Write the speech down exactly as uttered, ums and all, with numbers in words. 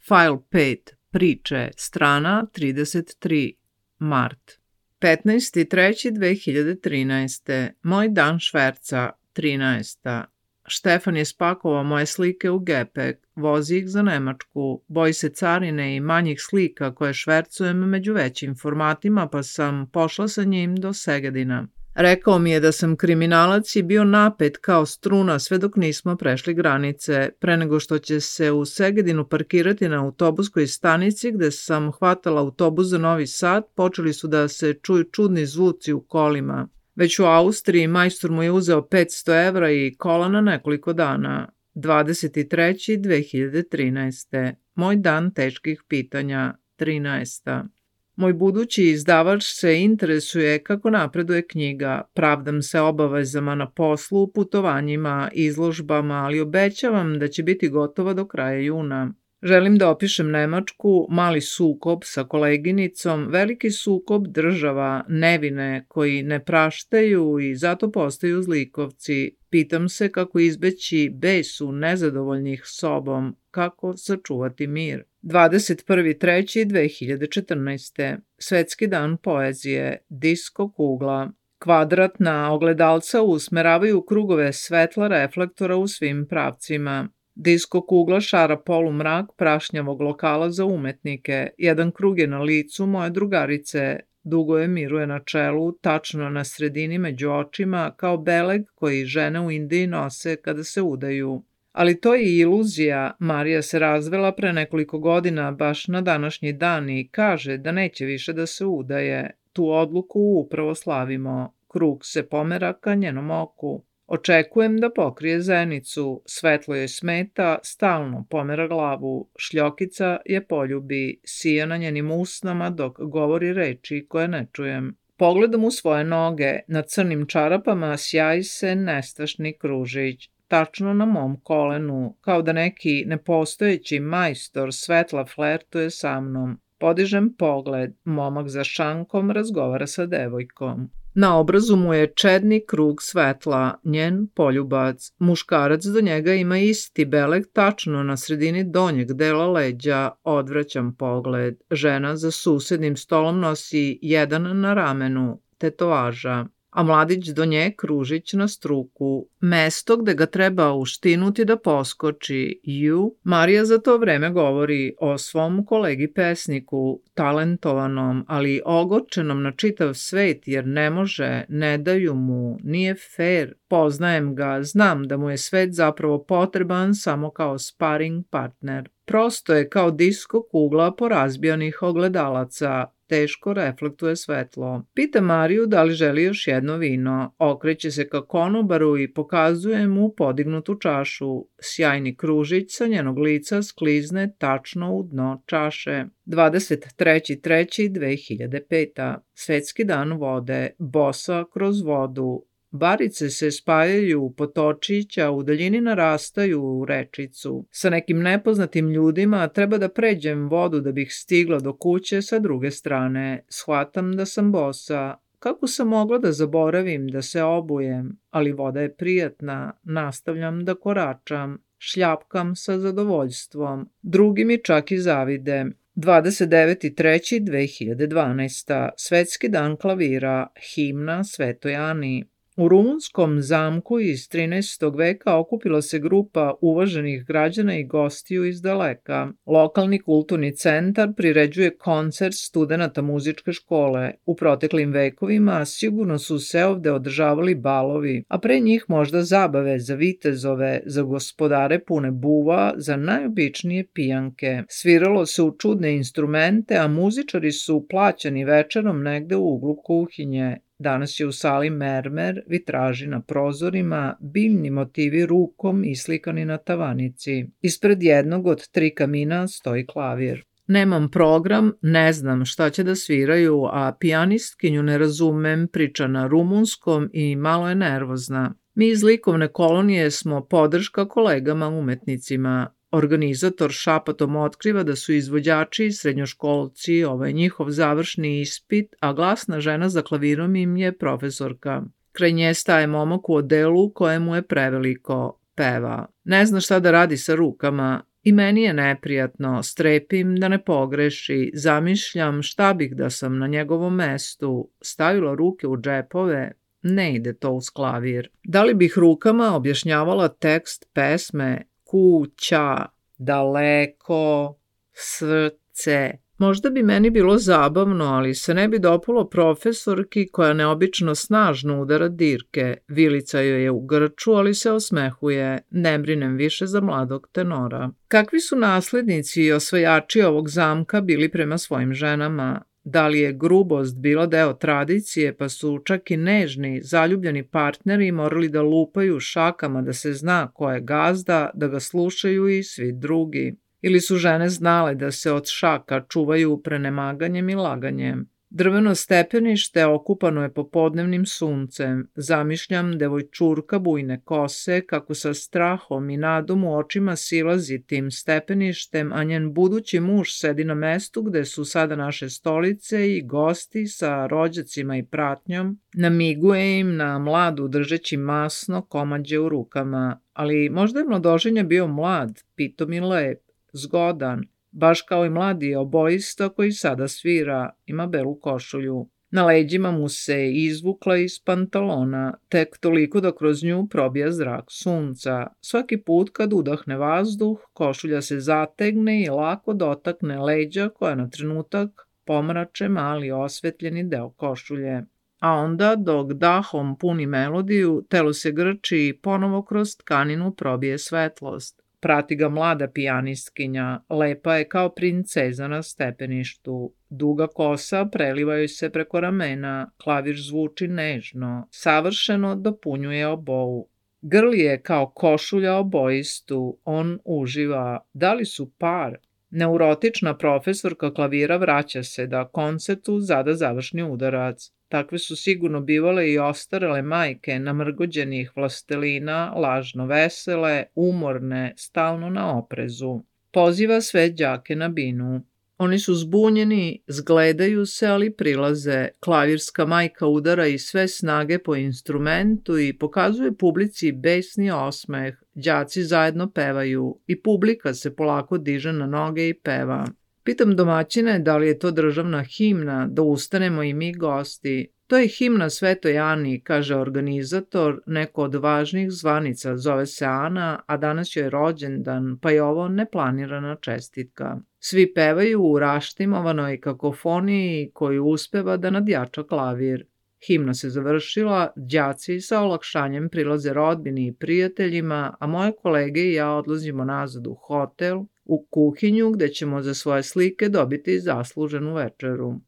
File pet. Priče. Strana trideset tri. Mart. petnaesti treći dve hiljade trinaeste. Moj dan šverca. trinaesta. Štefan je spakovao moje slike u gepek, vozi ih za Nemačku, boji se carine i manjih slika koje švercujem među većim formatima, pa sam pošla sa njim do Segedina. Rekao mi je da sam kriminalac i bio napet kao struna sve dok nismo prešli granice. Pre nego što će se u Segedinu parkirati na autobuskoj stanici gde sam hvatala autobus za Novi Sad, počeli su da se čuju čudni zvuci u kolima. Već u Austriji majstor mu je uzeo petsto evra i kola na nekoliko dana. dvadeset treći dve hiljade trinaeste. Moj dan teških pitanja. trinaesta. Moj budući izdavač se interesuje kako napreduje knjiga. Pravdam se obavezama na poslu, putovanjima, izložbama, ali obećavam da će biti gotova do kraja juna. Želim da opišem Nemačku, mali sukob sa koleginicom, veliki sukob država, nevine koji ne praštaju i zato postaju zlikovci. Pitam se kako izbeći besu nezadovoljnih sobom, kako sačuvati mir. dvadeset prvi treći dve hiljade četrnaeste. Svetski dan poezije. Disko kugla. Kvadratna ogledalca usmeravaju krugove svetla reflektora u svim pravcima. Disko kugla šara polumrak prašnjavog lokala za umetnike. Jedan krug je na licu moje drugarice. Dugo je miruje na čelu, tačno na sredini među očima, kao beleg koji žene u Indiji nose kada se udaju. Ali to je iluzija. Marija se razvela pre nekoliko godina baš na današnji dan i kaže da neće više da se udaje. Tu odluku upravo slavimo. Krug se pomera ka njenom oku. Očekujem da pokrije zenicu. Svetlo joj smeta, stalno pomera glavu. Šljokica je poljubi, sija na njenim usnama dok govori reči koje ne čujem. Pogledam u svoje noge. Na crnim čarapama sjaji se nestašni kružić. Tačno na mom kolenu, kao da neki nepostojeći majstor svetla flertuje sa mnom. Podižem pogled, momak za šankom razgovara sa devojkom. Na obrazu mu je čedni krug svetla, njen poljubac. Muškarac do njega ima isti beleg tačno na sredini donjeg dela leđa. Odvraćam pogled. Žena za susednim stolom nosi jedan na ramenu, tetovaža, a mladić do nje kružić na struku. Mesto gde ga treba uštinuti da poskoči. Ju, Marija za to vreme govori o svom kolegi pesniku, talentovanom, ali ogorčenom na čitav svet jer ne može, ne daju mu, nije fair. Poznajem ga, znam da mu je svet zapravo potreban samo kao sparing partner. Prosto je kao disko kugla porazbijanih ogledalaca. Teško reflektuje svetlo. Pita Mariju da li želi još jedno vino. Okreće se ka konobaru i pokazuje mu podignutu čašu. Sjajni kružić sa njenog lica sklizne tačno u dno čaše. dvadeset treći treći dve hiljade pete. Svetski dan vode. Bosa kroz vodu. Barice se spajaju u potočić, a u daljini narastaju u rečicu. Sa nekim nepoznatim ljudima treba da pređem vodu da bih stigla do kuće sa druge strane. Shvatam da sam bosa. Kako sam mogla da zaboravim da se obujem? Ali voda je prijatna. Nastavljam da koračam. Šljapkam sa zadovoljstvom. Drugi mi čak i zavide. dvadeset deveti treći dve hiljade dvanaeste. Svetski dan klavira. Himna Svetoj Ani. U rumunskom zamku iz trinaestog veka okupila se grupa uvaženih građana i gostiju iz daleka. Lokalni kulturni centar priređuje koncert studenata muzičke škole. U proteklim vekovima sigurno su se ovde održavali balovi, a pre njih možda zabave za vitezove, za gospodare pune buva, za najobičnije pijanke. Sviralo se u čudne instrumente, a muzičari su plaćani večerom negde u uglu kuhinje. Danas je u sali mermer, vitraži na prozorima, biljni motivi rukom islikani na tavanici. Ispred jednog od tri kamina stoji klavir. Nemam program, ne znam šta će da sviraju, a pijanistkinju ne razumem, priča na rumunskom i malo je nervozna. Mi iz likovne kolonije smo podrška kolegama umetnicima. Organizator šapatom otkriva da su izvođači i srednjoškolci, ovaj njihov završni ispit, a glasna žena za klavirom im je profesorka. Kraj nje staje momak u odelu kojemu je preveliko. Peva. Ne zna šta da radi sa rukama. I meni je neprijatno, strepim da ne pogreši, zamišljam šta bih da sam na njegovom mestu, stavila ruke u džepove, ne ide to uz klavir. Da li bih rukama objašnjavala tekst pesme kuća, daleko, srce? Možda bi meni bilo zabavno, ali se ne bi dopalo profesorki koja neobično snažno udara dirke. Vilica joj je u grču, ali se osmehuje. Ne brinem više za mladog tenora. Kakvi su naslednici i osvajači ovog zamka bili prema svojim ženama? Da li je grubost bila deo tradicije, pa su čak i nežni, zaljubljeni partneri morali da lupaju šakama da se zna ko je gazda, da ga slušaju i svi drugi? Ili su žene znale da se od šaka čuvaju prenemaganjem i laganjem? Drveno stepenište okupano je popodnevnim suncem. Zamišljam devojčurka bujne kose kako sa strahom i nadom u očima silazi tim stepeništem, a njen budući muž sedi na mestu gde su sada naše stolice i gosti sa rođacima i pratnjom. Namiguje im na mladu držeći masno komađe u rukama. Ali možda je mladoženja bio mlad, pitom i lep, zgodan, baš kao i mladi oboista koji sada svira, ima belu košulju. Na leđima mu se izvukla iz pantalona, tek toliko da kroz nju probija zrak sunca. Svaki put kad udahne vazduh, košulja se zategne i lako dotakne leđa koja na trenutak pomrače mali osvetljeni deo košulje. A onda, dok dahom puni melodiju, telo se grči i ponovo kroz tkaninu probije svetlost. Prati ga mlada pijanistkinja, lepa je kao princeza na stepeništu. Duga kosa preliva joj se preko ramena, klavir zvuči nežno, savršeno dopunjuje obou. Grli je kao košulja oboistu, on uživa. Da li su par? Neurotična profesorka klavira vraća se da koncertu zada završni udarac. Takve su sigurno bivale i ostarele majke namrgođenih vlastelina, lažno vesele, umorne, stalno na oprezu. Poziva sve đake na binu. Oni su zbunjeni, zgledaju se, ali prilaze. Klavirska majka udara iz sve snage po instrumentu i pokazuje publici besni osmeh. Đaci zajedno pevaju i publika se polako diže na noge i peva. Pitam domaćine da li je to državna himna, da ustanemo i mi gosti. To je himna Svetoj Ani, kaže organizator, neko od važnih zvanica, zove se Ana, a danas joj je rođendan, pa je ovo neplanirana čestitka. Svi pevaju u raštimovanoj kakofoniji koju uspeva da nadjača klavir. Himna se završila, đaci sa olakšanjem prilaze rodbini i prijateljima, a moje kolege i ja odlazimo nazad u hotel, u kuhinju gde ćemo za svoje slike dobiti zasluženu večeru.